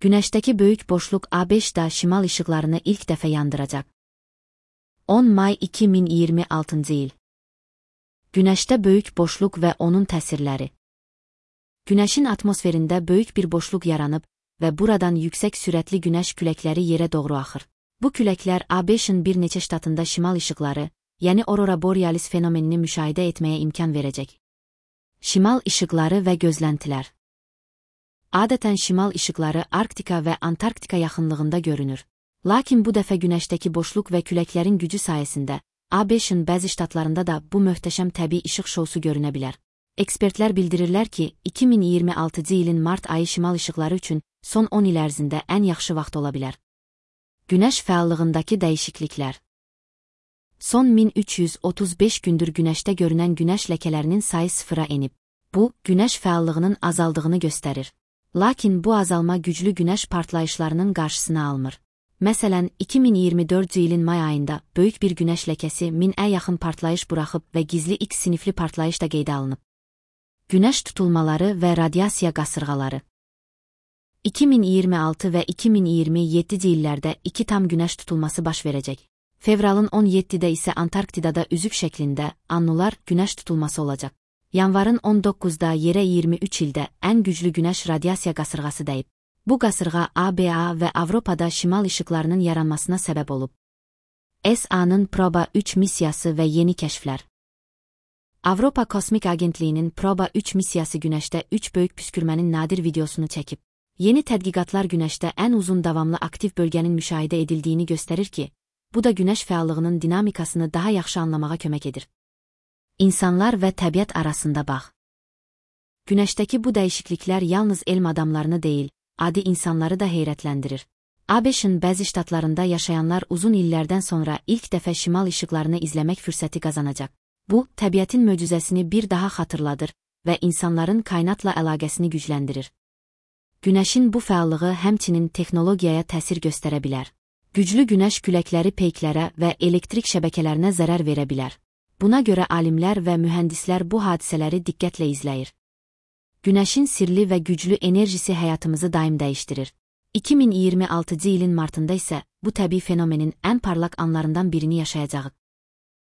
Güneşteki böyük boşluk A5'da şimal ışıklarını ilk defa yandıracak. 10 May 2026 yıl. Güneşte böyük boşluk ve onun təsirləri. Güneşin atmosferində böyük bir boşluq yaranıb və buradan yüksək sürətli güneş küləkləri yerə doğru axır. Bu küləklər A5-in bir neçə ştatında şimal ışıqları, yəni aurora borealis fenomenini müşahidə etməyə imkan verəcək. Şimal ışıqları və gözləntilər. Adətən şimal ışıqları Arktika və Antarktika yaxınlığında görünür. Lakin bu dəfə güneşdəki boşluq və küləklərin gücü sayəsində A5-in bəzi ştatlarında da bu möhtəşəm təbii işıq şousu görünə bilər. Ekspertlər bildirirlər ki, 2026 ilin mart ayı şimal ışıqları üçün son 10 il ərzində ən yaxşı vaxt ola bilər. Güneş fəallığındakı dəyişikliklər. Son 1335 gündür güneşdə görünən güneş ləkələrinin sayı sıfıra enib. Bu, güneş fəallığının azaldığını göstərir. Lakin bu azalma güclü güneş partlayışlarının qarşısını almır. Məsələn, 2024 ilin may ayında böyük bir güneş ləkəsi 1000-ə yaxın partlayış buraxıb və gizli X sinifli partlayış da qeydə alınıb. Güneş tutulmaları və radiasiya qasırğaları. 2026 və 2027 illərdə 2 tam güneş tutulması baş verəcək. Fevralın 17-də isə Antarktidada üzük şəklində annular güneş tutulması olacaq. Yanvarın 19-da yerə 23 ildə ən güclü güneş radiasiya qasırğası dəyib. Bu qasırğa ABA və Avropada şimal ışıqlarının yaranmasına səbəb olub. ESA-nın Proba 3 missiyası və yeni kəşflər. Avropa Kosmik Agentliyinin Proba 3 missiyası güneşdə 3 böyük püskürmənin nadir videosunu çəkib. Yeni tədqiqatlar güneşdə ən uzun davamlı aktiv bölgənin müşahidə edildiyini göstərir ki, bu da güneş fəallığının dinamikasını daha yaxşı anlamağa kömək edir. İnsanlar və təbiət arasında bağ. Güneşdəki bu dəyişikliklər yalnız elm adamlarını deyil, adi insanları da heyrətləndirir. ABŞ-in bəzi ştatlarında yaşayanlar uzun illərdən sonra ilk dəfə şimal ışıqlarını izləmək fürsəti qazanacaq. Bu, təbiətin möcüzəsini bir daha xatırladır və insanların kainatla əlaqəsini gücləndirir. Güneşin bu fəallığı həmçinin texnologiyaya təsir göstərə bilər. Güclü güneş küləkləri peyklərə və elektrik şəbəkələrinə zərər verə bilər. Buna görə alimlər və mühəndislər bu hadisələri diqqətlə izləyir. Güneşin sirli və güclü enerjisi həyatımızı daim dəyişdirir. 2026 ilin martında isə bu təbii fenomenin ən parlaq anlarından birini yaşayacağıq.